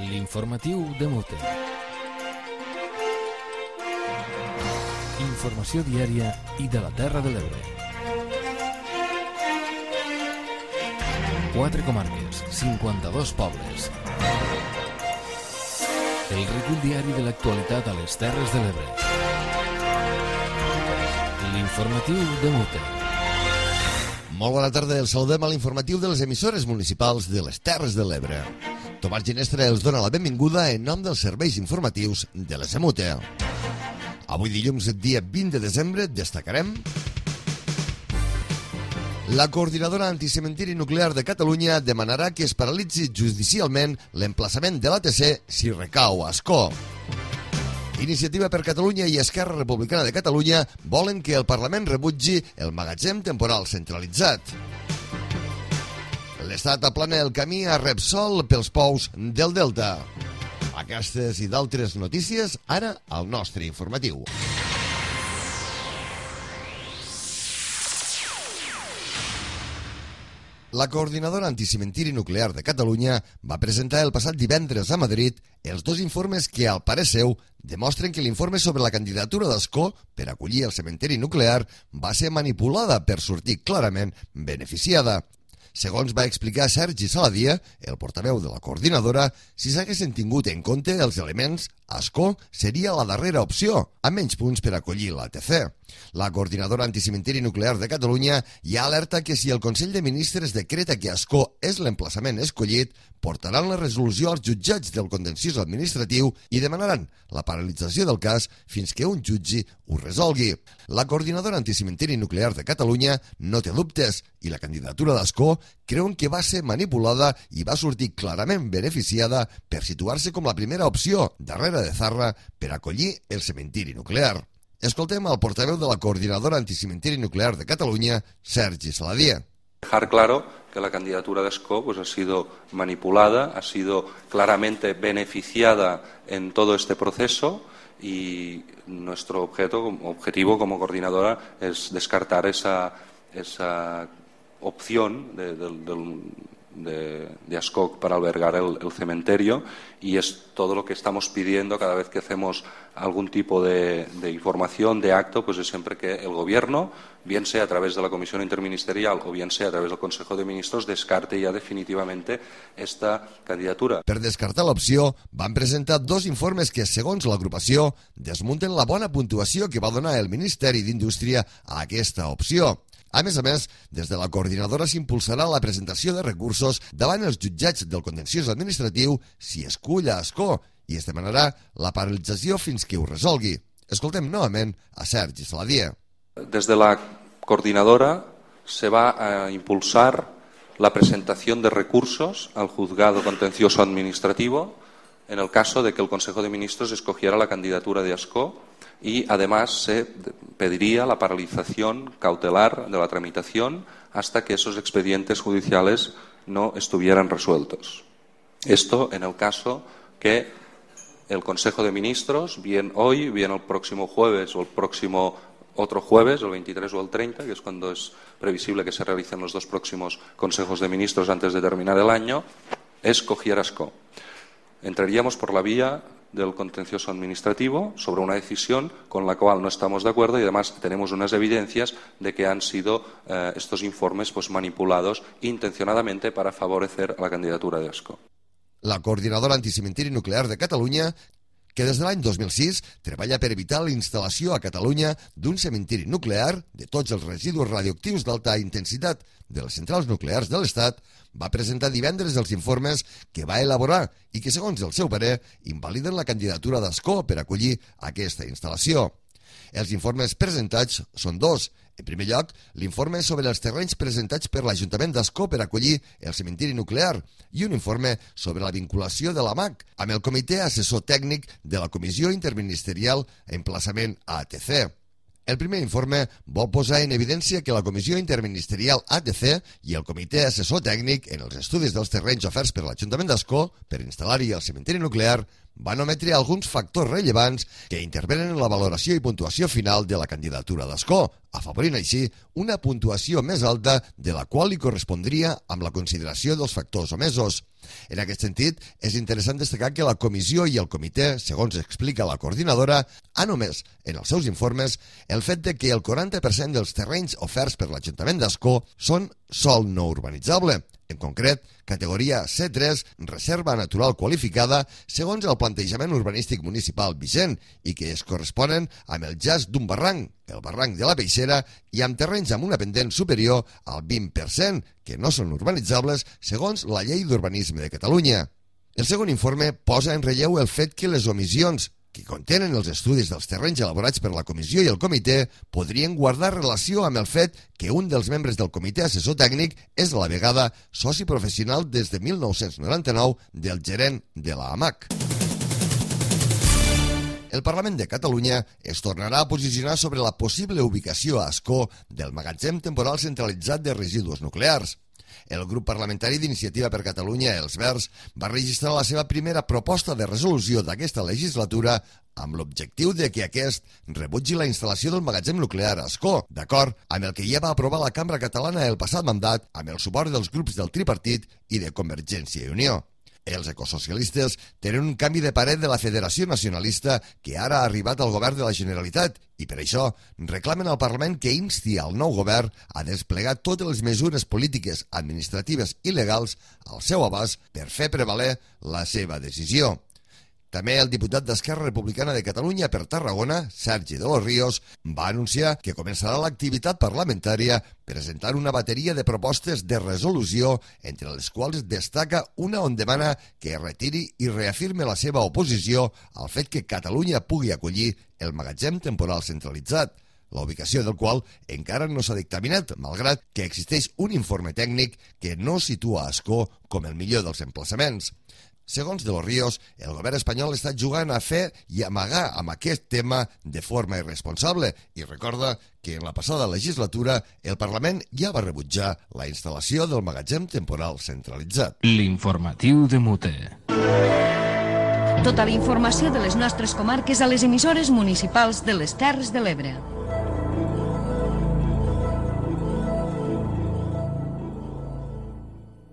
L'informatiu de Mute. Informació diària i de la Terra de l'Ebre. 4 comarques, 52 pobles. El recull diari de l'actualitat a les Terres de l'Ebre. L'informatiu de Mute. Molt bona tarda, el saludem a l'informatiu de les emissores municipals de les Terres de l'Ebre. Tomàs Ginestra els dona la benvinguda en nom dels serveis informatius de la Semute. Avui dilluns, dia 20 de desembre, destacarem: la coordinadora anticementiri nuclear de Catalunya demanarà que es paralitzi judicialment l'emplaçament de l'ATC si recau a Ascó. Iniciativa per Catalunya i Esquerra Republicana de Catalunya volen que el Parlament rebutgi el magatzem temporal centralitzat. L'Estat aplana el camí a Repsol pels pous del Delta. Aquestes i d'altres notícies ara al nostre informatiu. La coordinadora anticementiri nuclear de Catalunya va presentar el passat divendres a Madrid els dos informes que, al parer seu, demostren que l'informe sobre la candidatura d'Ascó per acollir el cementiri nuclear va ser manipulada per sortir clarament beneficiada. Segons va explicar Sergi Saladia, el portaveu de la coordinadora, si s'haguessin tingut en compte els elements, Ascó seria la darrera opció, amb menys punts per acollir l'ATC. La coordinadora anticementiri nuclear de Catalunya ja alerta que si el Consell de Ministres decreta que Ascó és l'emplaçament escollit, portaran la resolució als jutjats del contenciós administratiu i demanaran la paralització del cas fins que un jutge ho resolgui. La coordinadora anticementiri nuclear de Catalunya no té dubtes i la candidatura d'Ascó creuen que va ser manipulada i va sortir clarament beneficiada per situar-se com la primera opció, darrere de Zarra, per acollir el cementiri nuclear. Escoltem al portaveu de la coordinadora anticementiri nuclear de Catalunya, Sergi Saladia. Dejar claro que la candidatura de Ascó ha sido manipulada, ha sido claramente beneficiada en todo este proceso y nuestro objetivo como coordinadora es descartar esa opción de Ascó para albergar el cementerio, y es todo lo que estamos pidiendo cada vez que hacemos algún tipo de información, de acto, pues es siempre que el Gobierno, bien sea a través de la Comisión Interministerial o bien sea a través del Consejo de Ministros, descarte ya definitivamente esta candidatura. Per descartar l'opció, van presentar dos informes que, segons l'agrupació, desmunten la bona puntuació que va donar el Ministeri d'Indústria a aquesta opció. A més, des de la coordinadora s'impulsarà la presentació de recursos davant els jutjats del contenciós administratiu si escull a Ascó i es demanarà la paralització fins que ho resolgui. Escoltem novament a Sergi Saladia. Desde la coordinadora se va a impulsar la presentación de recursos al juzgado contencioso administrativo en el caso de que el Consejo de Ministros escogiera la candidatura de Ascó, y además se pediría la paralización cautelar de la tramitación hasta que esos expedientes judiciales no estuvieran resueltos. Esto en el caso que el Consejo de Ministros, bien hoy, bien el próximo jueves o el próximo otro jueves, el 23 o el 30, que es cuando es previsible que se realicen los dos próximos Consejos de Ministros antes de terminar el año, escogiera Ascó. Entraríamos por la vía del contencioso administrativo sobre una decisión con la cual no estamos de acuerdo, y además tenemos unas evidencias de que han sido estos informes manipulados intencionadamente para favorecer a la candidatura de Ascó. La coordinadora anticementiri nuclear de Catalunya, que des de l'any 2006 treballa per evitar la instal·lació a Catalunya d'un cementiri nuclear de tots els residus radioactius d'alta intensitat de les centrals nuclears de l'Estat, va presentar divendres els informes que va elaborar i que, segons el seu parer, invaliden la candidatura d'Ascó per acollir aquesta instal·lació. Els informes presentats són dos. En primer lloc, l'informe sobre els terrenys presentats per l'Ajuntament d'Ascó per acollir el cementiri nuclear i un informe sobre la vinculació de l'AMAC amb el Comitè Assessor Tècnic de la Comissió Interministerial Emplaçament ATC. El primer informe vol posar en evidència que la Comissió Interministerial ATC i el Comitè Assessor Tècnic en els estudis dels terrenys oferts per l'Ajuntament d'Ascó per instal·lar-hi el cementiri nuclear van ometre alguns factors rellevants que intervenen en la valoració i puntuació final de la candidatura d'Escó, afavorint així una puntuació més alta de la qual li correspondria amb la consideració dels factors omesos. En aquest sentit, és interessant destacar que la comissió i el comitè, segons explica la coordinadora, han omès en els seus informes el fet de que el 40% dels terrenys oferts per l'Ajuntament d'Ascó són sòl no urbanitzable. En concret, categoria C3, reserva natural qualificada, segons el plantejament urbanístic municipal vigent i que es corresponen amb el jaç d'un barranc, el barranc de la Peixera, i amb terrenys amb una pendent superior al 20%, que no són urbanitzables segons la Llei d'Urbanisme de Catalunya. El segon informe posa en relleu el fet que les omissions que contenen els estudis dels terrenys elaborats per la comissió i el comitè podrien guardar relació amb el fet que un dels membres del comitè assessor tècnic és a la vegada soci professional des de 1999 del gerent de la AMAC. El Parlament de Catalunya es tornarà a posicionar sobre la possible ubicació a Ascó del magatzem temporal centralitzat de residus nuclears. El grup parlamentari d'Iniciativa per Catalunya, els Verds, va registrar la seva primera proposta de resolució d'aquesta legislatura amb l'objectiu de que aquest rebutgi la instal·lació del magatzem nuclear a Ascó, d'acord amb el que ja va aprovar la Cambra Catalana el passat mandat amb el suport dels grups del tripartit i de Convergència i Unió. Els ecosocialistes tenen un canvi de parer de la Federació Nacionalista que ara ha arribat al govern de la Generalitat i per això reclamen al Parlament que insti al nou govern a desplegar totes les mesures polítiques, administratives i legals al seu abast per fer prevaler la seva decisió. També el diputat d'Esquerra Republicana de Catalunya per Tarragona, Sergi de los Ríos, va anunciar que començarà l'activitat parlamentària presentant una bateria de propostes de resolució, entre les quals destaca una on demana que retiri i reafirme la seva oposició al fet que Catalunya pugui acollir el magatzem temporal centralitzat, la ubicació del qual encara no s'ha dictaminat, malgrat que existeix un informe tècnic que no situa Ascó com el millor dels emplaçaments. Segons de los Ríos, el govern espanyol està jugant a fer i amagar amb aquest tema de forma irresponsable i recorda que en la passada legislatura el Parlament ja va rebutjar la instal·lació del magatzem temporal centralitzat. L'informatiu de Mute. Tota la informació de les nostres comarques a les emissores municipals de les Terres de l'Ebre.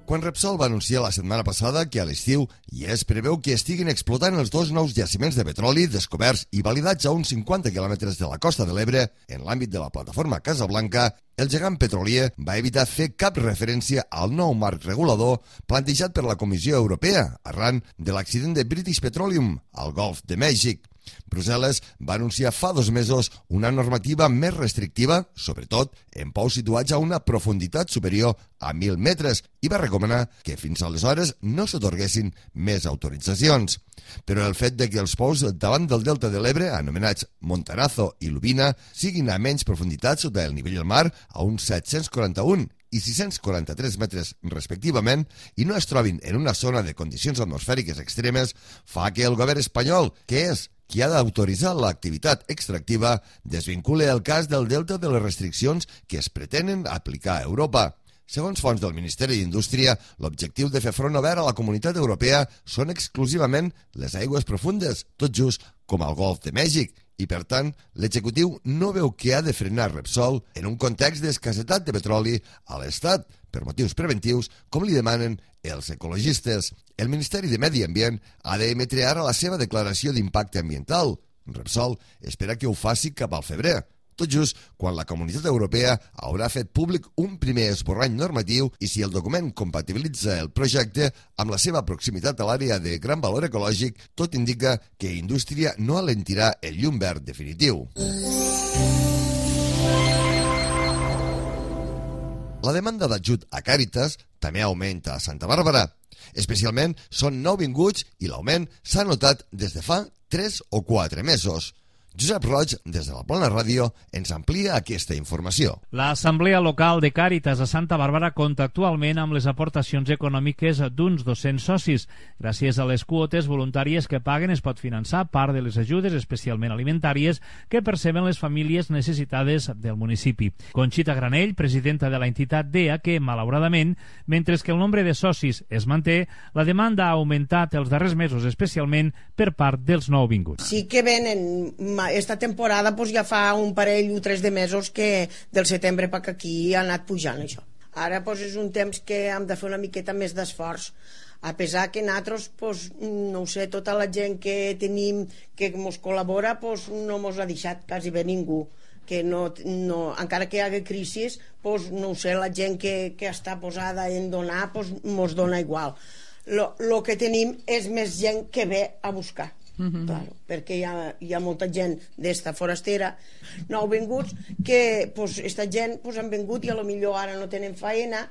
Quan Repsol va anunciar la setmana passada que a l'estiu ja es preveu que estiguin explotant els dos nous jaciments de petroli descoberts i validats a uns 50 quilòmetres de la costa de l'Ebre en l'àmbit de la plataforma Casablanca, el gegant petrolier va evitar fer cap referència al nou marc regulador plantejat per la Comissió Europea arran de l'accident de British Petroleum al Golf de Mèxic. Brussel·les va anunciar fa 2 mesos una normativa més restrictiva, sobretot en pous situats a una profunditat superior a 1.000 metres, i va recomanar que fins aleshores no s'atorguessin més autoritzacions. Però el fet de que els pous davant del delta de l'Ebre, anomenats Montarazo i Lubina, siguin a menys profunditat sota el nivell del mar, a uns 741 i 643 metres respectivament, i no es trobin en una zona de condicions atmosfèriques extremes, fa que el govern espanyol, que és qui ha d'autoritzar l'activitat extractiva, desvincule el cas del delta de les restriccions que es pretenen aplicar a Europa. Segons fonts del Ministeri d'Indústria, l'objectiu de fer front obert a la Comunitat Europea són exclusivament les aigües profundes, tot just com al Golf de Mèxic, i per tant l'executiu no veu que ha de frenar Repsol en un context d'escassetat de petroli a l'Estat, per motius preventius, com li demanen els ecologistes. El Ministeri de Medi Ambient ha d'emetre ara la seva declaració d'impacte ambiental. Repsol espera que ho faci cap al febrer, tot just quan la Comunitat Europea haurà fet públic un primer esborrany normatiu i si el document compatibilitza el projecte amb la seva proximitat a l'àrea de gran valor ecològic, tot indica que Indústria no alentirà el llum verd definitiu. La demanda d'ajut a Càritas també augmenta a Santa Bàrbara. Especialment són nouvinguts i l'augment s'ha notat des de fa 3 o 4 mesos. Josep Roig, des de la Plana Ràdio, ens amplia aquesta informació. L'Assemblea Local de Càritas a Santa Bàrbara compta actualment amb les aportacions econòmiques d'uns 200 socis. Gràcies a les quotes voluntàries que paguen es pot finançar part de les ajudes, especialment alimentàries, que perceben les famílies necessitades del municipi. Conxita Granell, presidenta de la entitat, deia que, malauradament, mentre que el nombre de socis es manté, la demanda ha augmentat els darrers mesos, especialment per part dels nouvinguts. Sí que venen, esta temporada pues, ja fa un parell o 3 de mesos que del setembre per aquí ha anat pujant això. Ara pues, és un temps que hem de fer una miqueta més d'esforç, a pesar que nosaltres, pues, no ho sé, tota la gent que tenim que ens col·labora pues, no ens ha deixat quasi bé ningú, que no, encara que hi hagi crisi, pues, no ho sé, la gent que està posada en donar pues, ens dona igual. Lo que tenim és més gent que ve a buscar. Claro, perquè hi ha molta gent d'esta forastera nouvinguts que pues, esta gent pues, han vingut i a lo millor ara no tenen feina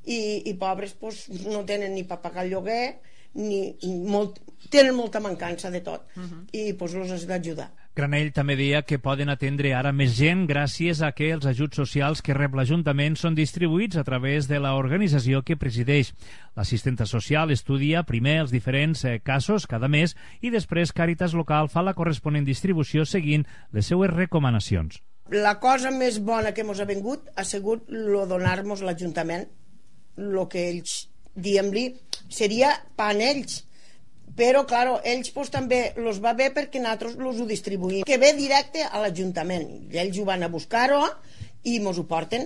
i pobres pues, no tenen ni per pagar el lloguer tenen molta mancança de tot i pues, els has d'ajudar. Granell també deia que poden atendre ara més gent gràcies a que els ajuts socials que rep l'Ajuntament són distribuïts a través de l'organització que presideix. L'assistenta social estudia primer els diferents casos cada mes i després Càritas Local fa la corresponent distribució seguint les seues recomanacions. La cosa més bona que ens ha vingut ha sigut lo donar-nos l'Ajuntament, el que ells, diguem-li, seria per ells. Però, claro, ells pues, també els va bé perquè nosaltres els ho distribuïm. Que ve directe a l'Ajuntament. Ells ho van a buscar-ho i ens ho porten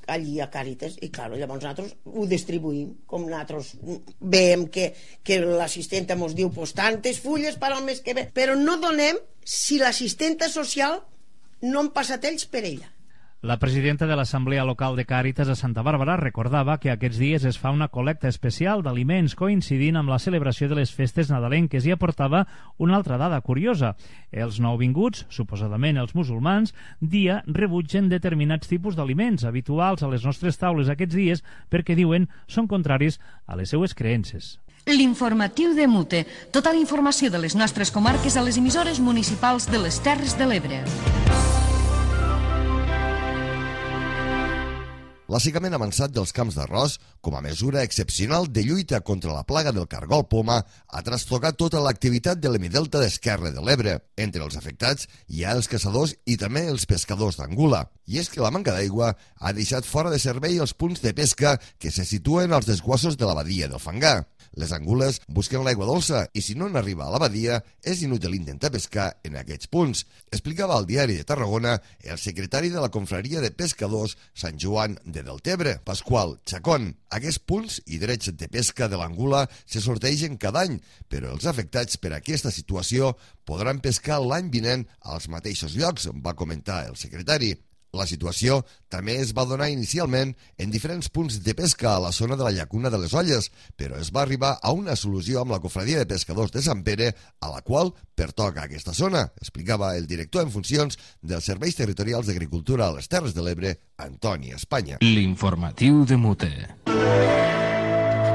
allí a Càritas. I, claro, llavors nosaltres ho distribuïm. Com nosaltres veiem que l'assistenta ens diu pues, tantes fulles per al mes que ve. Però no donem si l'assistenta social no han passat ells per ella. La presidenta de l'Assemblea Local de Càritas a Santa Bàrbara recordava que aquests dies es fa una col·lecta especial d'aliments coincidint amb la celebració de les festes nadalenques i aportava una altra dada curiosa. Els nouvinguts, suposadament els musulmans, rebutgen determinats tipus d'aliments habituals a les nostres taules aquests dies perquè, diuen, són contraris a les seues creences. L'informatiu de Mute. Tota la informació de les nostres comarques a les emissores municipals de les Terres de l'Ebre. L'assecament avançat dels camps d'arròs, com a mesura excepcional de lluita contra la plaga del cargol poma, ha trastocat tota l'activitat de l'hemidelta d'Esquerra de l'Ebre. Entre els afectats hi ha els caçadors i també els pescadors d'Angula. I és que la manca d'aigua ha deixat fora de servei els punts de pesca que se situen als desguassos de la badia del Fangar. Les angules busquen l'aigua dolça i si no n'arriba a la badia és inútil intentar pescar en aquests punts. Explicava al Diari de Tarragona el secretari de la Confraria de Pescadors Sant Joan de Deltebre, Pasqual Chacón. Aquests punts i drets de pesca de l'angula se sortegen cada any, però els afectats per aquesta situació podran pescar l'any vinent als mateixos llocs, va comentar el secretari. La situació també es va donar inicialment en diferents punts de pesca a la zona de la llacuna de les Olles, però es va arribar a una solució amb la Confraria de Pescadors de Sant Pere, a la qual pertoca aquesta zona, explicava el director en funcions dels Serveis Territorials d'Agricultura a les Terres de l'Ebre, Antoni Espanya. L'informatiu de Mute.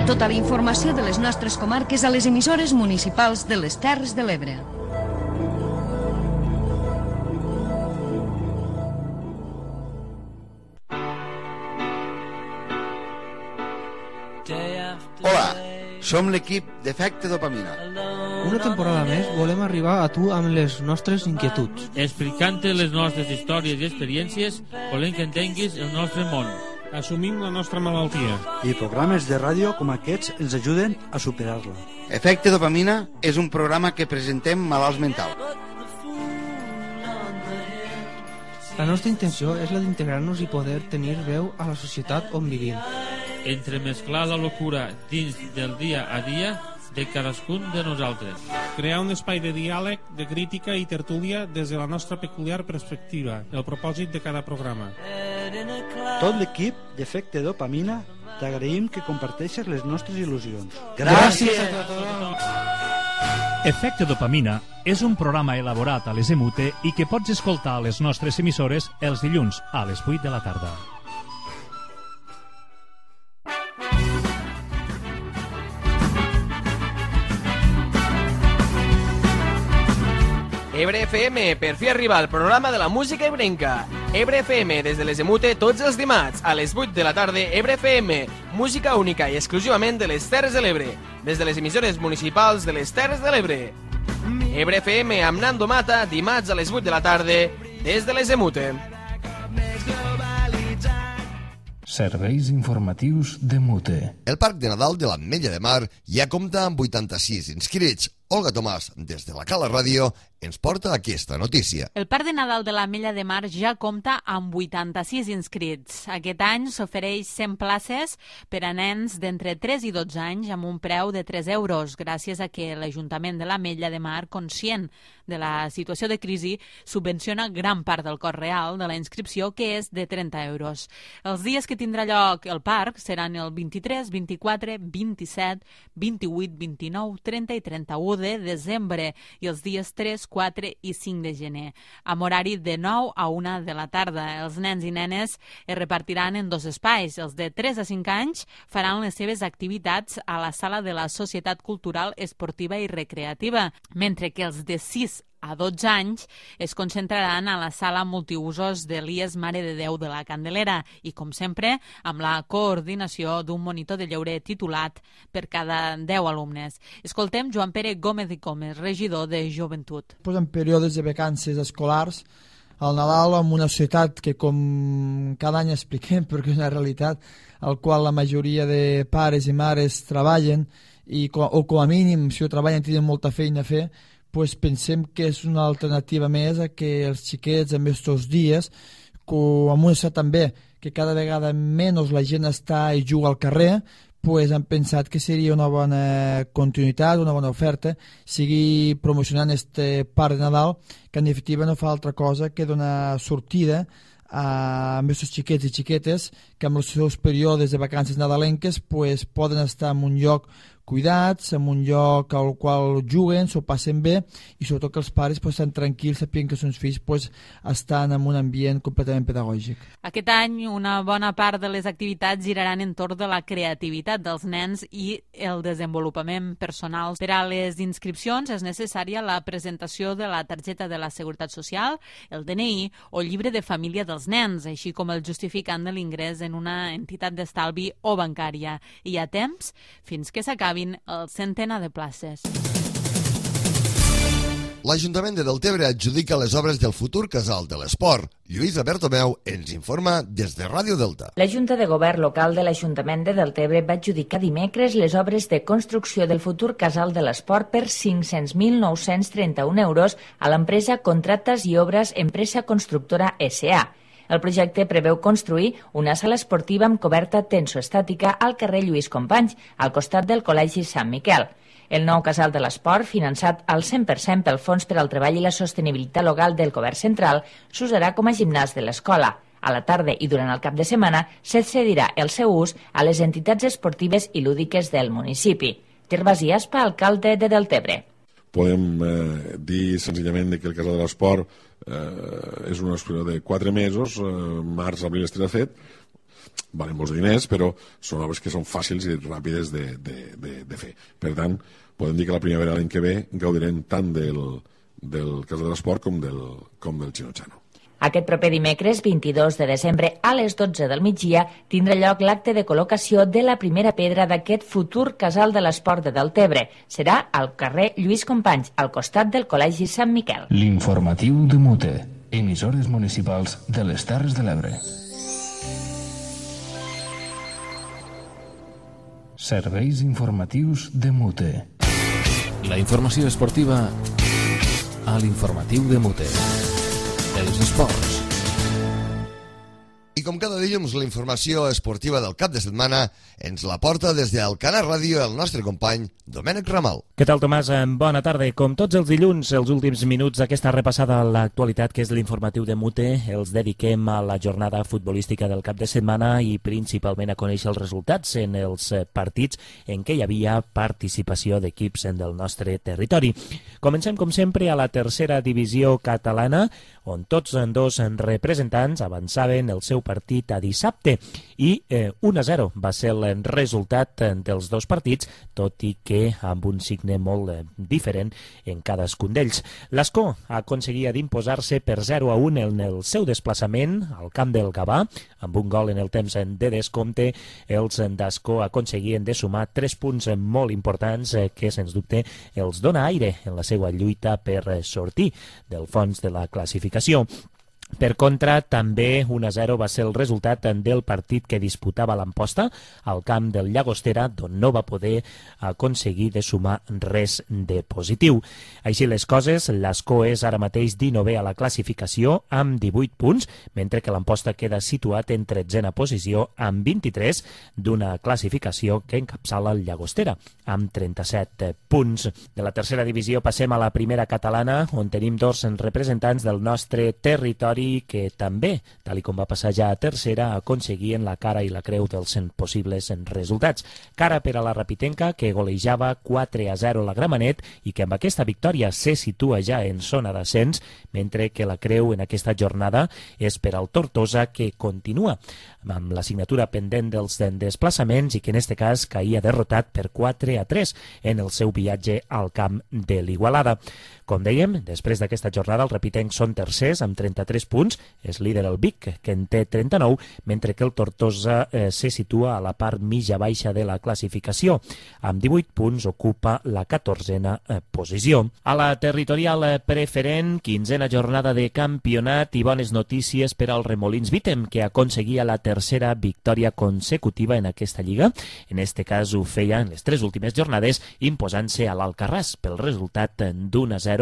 Tota la informació de les nostres comarques a les emissores municipals de les Terres de l'Ebre. Hola, som l'equip d'Efecte Dopamina. Una temporada més volem arribar a tu amb les nostres inquietuds. Explicant-te les nostres històries i experiències, volem que entenguis el nostre món. Assumim la nostra malaltia. I programes de ràdio com aquests ens ajuden a superar-la. Efecte Dopamina és un programa que presentem malalts mentals. La nostra intenció és la d'integrar-nos i poder tenir veu a la societat on vivim. Entremesclar la locura dins del dia a dia de cadascun de nosaltres. Crear un espai de diàleg, de crítica i tertúlia des de la nostra peculiar perspectiva, el propòsit de cada programa. Tot l'equip d'Efecte Dopamina t'agraïm que comparteixes les nostres il·lusions. Gràcies a tothom! Efecte Dopamina és un programa elaborat a les EMUTE i que pots escoltar a les nostres emissores els dilluns a les 8 de la tarda. Ebre FM, per fi arriba el programa de la música ebrenca. Ebre FM, des de les Emute, tots els dimarts, a les 8 de la tarda, Ebre FM, música única i exclusivament de les Terres de l'Ebre, des de les emissores municipals de les Terres de l'Ebre. Ebre FM amb Nando Mata, dimarts a les 8 de la tarda, des de les Emute. Serveis informatius de Mute. El Parc de Nadal de l'Ametlla de Mar ja compta amb 86 inscrits. Olga Tomàs, des de la Cala Ràdio, ens porta aquesta notícia. El Parc de Nadal de l'Ametlla de Mar ja compta amb 86 inscrits. Aquest any s'ofereix 100 places per a nens d'entre 3 i 12 anys amb un preu de 3 euros, gràcies a que l'Ajuntament de l'Ametlla de Mar, conscient de la situació de crisi, subvenciona gran part del cost real de la inscripció, que és de 30 euros. Els dies que tindrà lloc el parc seran el 23, 24, 27, 28, 29, 30 i 31 de desembre i els dies 3, 4 i 5 de gener, amb horari de 9 a 1 de la tarda. Els nens i nenes es repartiran en dos espais. Els de 3 a 5 anys faran les seves activitats a la sala de la Societat Cultural, Esportiva i Recreativa, mentre que els de 6 a 12 anys es concentraran a la sala multiusos de l'IES Mare de Déu de la Candelera i, com sempre, amb la coordinació d'un monitor de lleure titulat per cada 10 alumnes. Escoltem Joan Pere Gómez i Gómez, regidor de Joventut. En períodes de vacances escolars, al Nadal, en una societat que, com cada any expliquem, perquè és una realitat, al qual la majoria de pares i mares treballen, o com a mínim, si ho treballen, tenen molta feina a fer, pues pensem que és una alternativa més a que els xiquets en aquests dies, amb una societat també que cada vegada menys la gent està i juga al carrer, pues han pensat que seria una bona continuïtat, una bona oferta, sigui promocionant este Parc de Nadal, que en definitiva no fa altra cosa que donar sortida a aquests xiquets i xiquetes que amb els seus períodes de vacances nadalenques pues, poden estar en un lloc cuidats, en un lloc al qual juguen, s'ho passen bé i sobretot que els pares pues, estan tranquils sapient que els seus fills pues, estan en un ambient completament pedagògic. Aquest any una bona part de les activitats giraran entorn de la creativitat dels nens i el desenvolupament personal. Per a les inscripcions és necessària la presentació de la targeta de la Seguretat Social, el DNI o llibre de família dels nens, així com el justificant de l'ingrés en una entitat d'estalvi o bancària. I hi ha temps fins que s'acabi el centenar de places. L'Ajuntament de Deltebre adjudica les obres del futur casal de l'esport. Lluïsa Bertomeu ens informa des de Ràdio Delta. La Junta de Govern local de l'Ajuntament de Deltebre va adjudicar dimecres les obres de construcció del futur casal de l'esport per 500.931 euros a l'empresa Contractes i Obres Empresa Constructora S.A. El projecte preveu construir una sala esportiva amb coberta tensoestàtica al carrer Lluís Companys, al costat del Col·legi Sant Miquel. El nou casal de l'esport, finançat al 100% pel Fons per al Treball i la Sostenibilitat Local del Govern Central, s'usarà com a gimnàs de l'escola. A la tarda i durant el cap de setmana s'excedirà el seu ús a les entitats esportives i lúdiques del municipi. Gervasi Aspa, alcalde de Deltebre. Podem dir senzillament que el casal de l'esport és una exposició de 4 mesos, març, abril estarà fet, valen molts diners, però són obres que són fàcils i ràpides de fer. Per tant, podem dir que la primavera l'any que ve gaudirem tant del casal de l'esport com del Xinotxano. Aquest proper dimecres, 22 de desembre, a les 12 del migdia, tindrà lloc l'acte de col·locació de la primera pedra d'aquest futur casal de l'esport de Deltebre. Serà al carrer Lluís Companys, al costat del Col·legi Sant Miquel. L'informatiu de Mute, emissores municipals de les Terres de l'Ebre. Serveis informatius de Mute. La informació esportiva a l'informatiu de Mute. Els esports. I com cada dilluns, la informació esportiva del cap de setmana ens la porta des d'Alcanar Ràdio el nostre company Domènec Ramal. Què tal, Tomàs? Bona tarda. Com tots els dilluns, els últims minuts d'aquesta repassada a l'actualitat, que és l'informatiu de Mute, els dediquem a la jornada futbolística del cap de setmana i principalment a conèixer els resultats en els partits en què hi havia participació d'equips del nostre territori. Comencem, com sempre, a la tercera divisió catalana, on tots dos representants avançaven el seu partit a dissabte i 1-0 va ser el resultat dels dos partits, tot i que amb un signe molt diferent en cadascun d'ells. L'Escó aconseguia d'imposar-se per 0-1 en el seu desplaçament al camp del Gavà, amb un gol en el temps de descompte. Els d'Escó aconseguien de sumar 3 punts molt importants que, sens dubte, els dona aire en la seva lluita per sortir del fons de la classificació. Per contra, també 1-0 va ser el resultat del partit que disputava l'Amposta al camp del Llagostera, d'on no va poder aconseguir de sumar res de positiu. Així les coses, l'Escó és ara mateix 19è a la classificació amb 18 punts, mentre que l'Amposta queda situat en 13a posició amb 23 d'una classificació que encapçala el Llagostera amb 37 punts. De la tercera divisió passem a la primera catalana, on tenim dos representants del nostre territori que també, tal com va passar ja a tercera, aconseguien la cara i la creu dels possibles resultats. Cara per a la Rapitenca, que golejava 4-0 la Gramenet i que amb aquesta victòria se situa ja en zona d'ascens, mentre que la creu en aquesta jornada és per al Tortosa, que continua amb la signatura pendent dels desplaçaments i que en aquest cas caïa derrotat per 4-3 en el seu viatge al camp de l'Igualada. Com dèiem, després d'aquesta jornada els rapitencs són tercers amb 33 punts, és líder el Vic, que en té 39, mentre que el Tortosa se situa a la part mitja-baixa de la classificació. Amb 18 punts ocupa la 14a posició. A la territorial preferent, 15a jornada de campionat i bones notícies per al Remolins Vítem, que aconseguia la tercera victòria consecutiva en aquesta lliga. En este cas ho feia en les 3 últimes jornades, imposant-se a l'Alcarràs pel resultat d'1-0,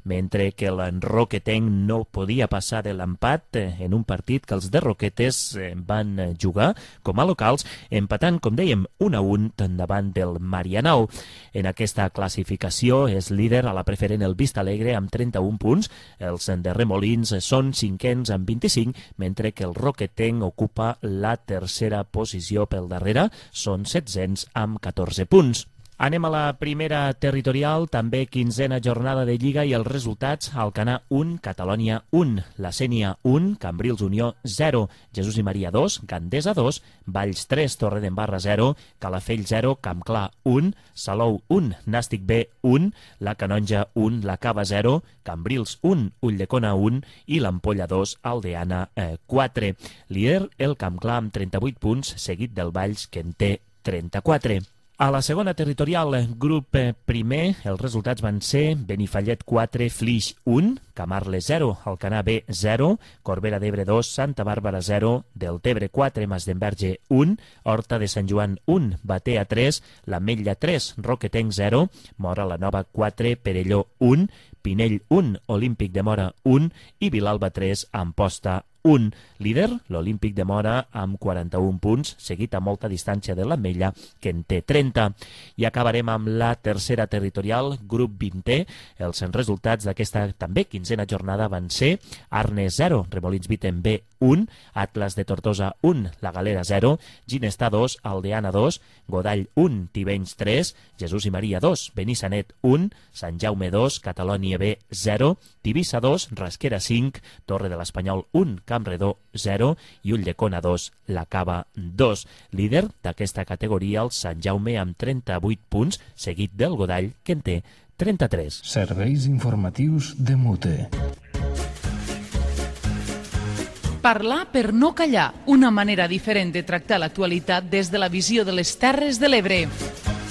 mentre que l'Enroquetenc no podia passar de l'empat en un partit que els de Roquetes van jugar com a locals, empatant, com dèiem, 1-1 davant del Marianao. En aquesta classificació és líder a la preferent el Vistalegre amb 31 punts, els de Remolins són 5ens amb 25, mentre que el Roquetenc ocupa la tercera posició pel darrere, són 700 amb 14 punts. Anem a la primera territorial, també 15a jornada de Lliga i els resultats: Alcanar 1, Catalònia 1, La Sénia 1, Cambrils Unió 0, Jesús i Maria 2, Gandesa 2, Valls 3, Torredembarra 0, Calafell 0, Campclar 1, Salou 1, Nàstic B 1, La Canonja 1, La Cava 0, Cambrils 1, Ulldecona 1 i l'Ampolla 2, Aldeana 4. Líder el Campclar amb 38 punts, seguit del Valls, que en té 34. A la segona territorial, grup primer, els resultats van ser Benifallet 4, Flix 1, Camarles 0, Alcanar B 0, Corbera d'Ebre 2, Santa Bàrbara 0, Deltebre 4, Masdenverge 1, Horta de Sant Joan 1, Batea 3, l'Ametlla 3, Roquetenc 0, Mora la Nova 4, Perelló 1, Pinell 1, Olímpic de Mora 1 i Vilalba 3, Amposta 1. Líder, l'Olímpic de Mora amb 41 punts, seguit a molta distància de l'Ametlla, que en té 30. I acabarem amb la tercera territorial, grup 20è. Els resultats d'aquesta també 15a jornada van ser Arnes 0, Remolins Vítem B 1, Atlas de Tortosa 1, La Galera 0, Ginestà 2, Aldeana 2, Godall 1, Tivenys 3, Jesús i Maria 2, Benissanet 1, Sant Jaume 2, Catalònia B 0, Tivissa 2, Rasquera 5, Torre de l'Espanyol 1, Campredó 0 i Ulldecona 2, La Cava 2. Líder d'aquesta categoria el Sant Jaume amb 38 punts, seguit del Godall, que en té 33. Serveis informatius de Mute. Parlar per no callar, una manera diferent de tractar l'actualitat des de la visió de les Terres de l'Ebre.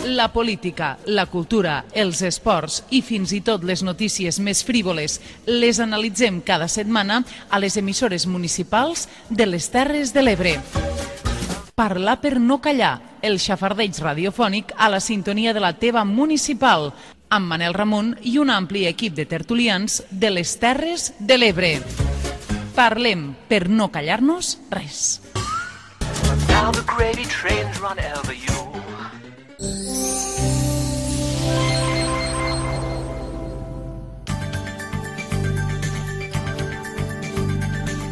La política, la cultura, els esports i fins i tot les notícies més frívoles les analitzem cada setmana a les emissores municipals de les Terres de l'Ebre. Parlar per no callar, el xafardeig radiofònic a la sintonia de la teva municipal, amb Manel Ramon i un ampli equip de tertulians de les Terres de l'Ebre. Parlem per no callar-nos res. Now the gravy trains run over you.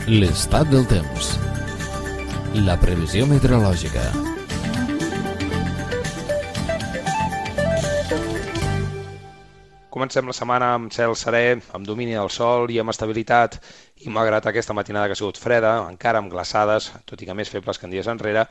L'estat del temps. La previsió meteorològica. Comencem la setmana amb cel serè, amb domini del sol i amb estabilitat, i malgrat aquesta matinada que ha sigut freda, encara amb glaçades, tot i que més febles que en dies enrere,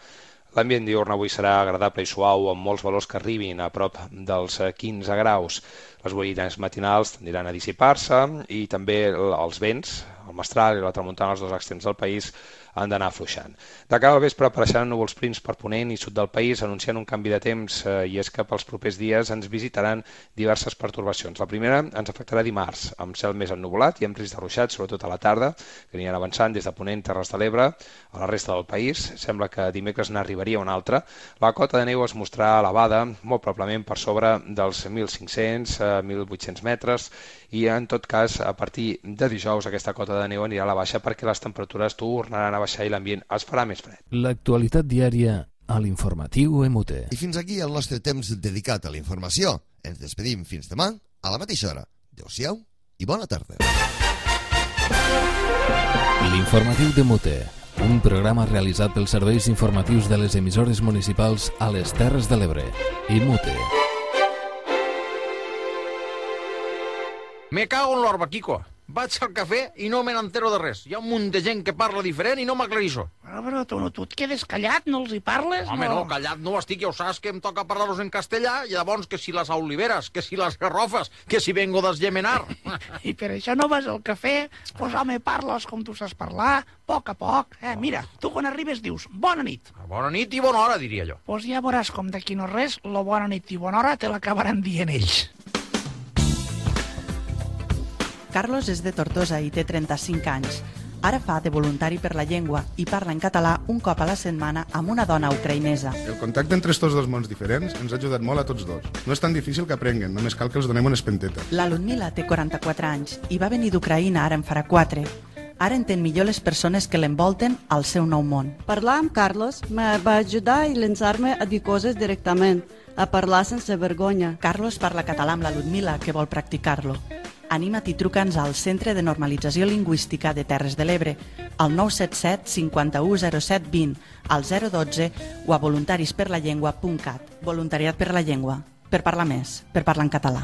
l'ambient diurn avui serà agradable i suau, amb molts valors que arribin a prop dels 15 graus. Les boirines matinals tendiran a dissipar-se i també els vents, el mestral i la tramuntana als dos extrems del país, han d'anar afluixant. De cara al vespre apareixeran núvols prims per ponent i sud del país, anunciant un canvi de temps, i és que pels propers dies ens visitaran diverses pertorbacions. La primera ens afectarà dimarts, amb cel més ennuvolat i amb risc de ruixats, sobretot a la tarda, que aniran avançant des de ponent, Terres de l'Ebre, a la resta del país. Sembla que dimecres n'arribaria una altra. La cota de neu es mostrarà elevada, molt probablement per sobre dels 1.500-1.800 metres, i en tot cas, a partir de dijous, aquesta cota de neu anirà a la baixa perquè les temperatures tornaran a baixar i l'ambient es farà més fred. L'actualitat diària a l'informatiu EMUTE. I fins aquí el nostre temps dedicat a la informació. Ens despedim fins demà a la mateixa hora. Adéu-siau i bona tarda. L'informatiu d'EMUTE, un programa realitzat pels serveis informatius de les emissores municipals a les Terres de l'Ebre. EMUTE. Me cago en l'orba, Quico. Vaig al cafè i no me n'entero de res. Hi ha un munt de gent que parla diferent i no m'aclarixo. Però tu et quedes callat, no els hi parles? Home, no, callat no estic, ja ho saps que em toca parlar-los en castellà, i llavors que si les oliveres, que si les garrofes, que si vengo d'esgemenar. I per això no vas al cafè? Pues home, parles com tu saps parlar, a poc. Mira, tu quan arribes dius bona nit. Bona nit i bona hora, diria jo. Pues ja veuràs com d'aquí no res, lo bona nit i bona hora te l'acabaran dient ells. Carlos és de Tortosa i té 35 anys. Ara fa de voluntari per la llengua i parla en català un cop a la setmana amb una dona ucraïnesa. El contacte entre estos dos mons diferents ens ha ajudat molt a tots dos. No és tan difícil que aprenguen, només cal que els donem una espenteta. La Ludmila té 44 anys i va venir d'Ucraïna ara en farà 4. Ara entén millor les persones que l'envolten al seu nou món. Parlar amb Carlos me va ajudar i llançar-me a dir coses directament, a parlar sense vergonya. Carlos parla català amb la Ludmila, que vol practicar-lo. Anima't i truca'ns al Centre de Normalització Lingüística de Terres de l'Ebre, al 977 51 07 20, al 012 o a voluntarisperlallengua.cat. Voluntariat per la llengua, per parlar més, per parlar en català.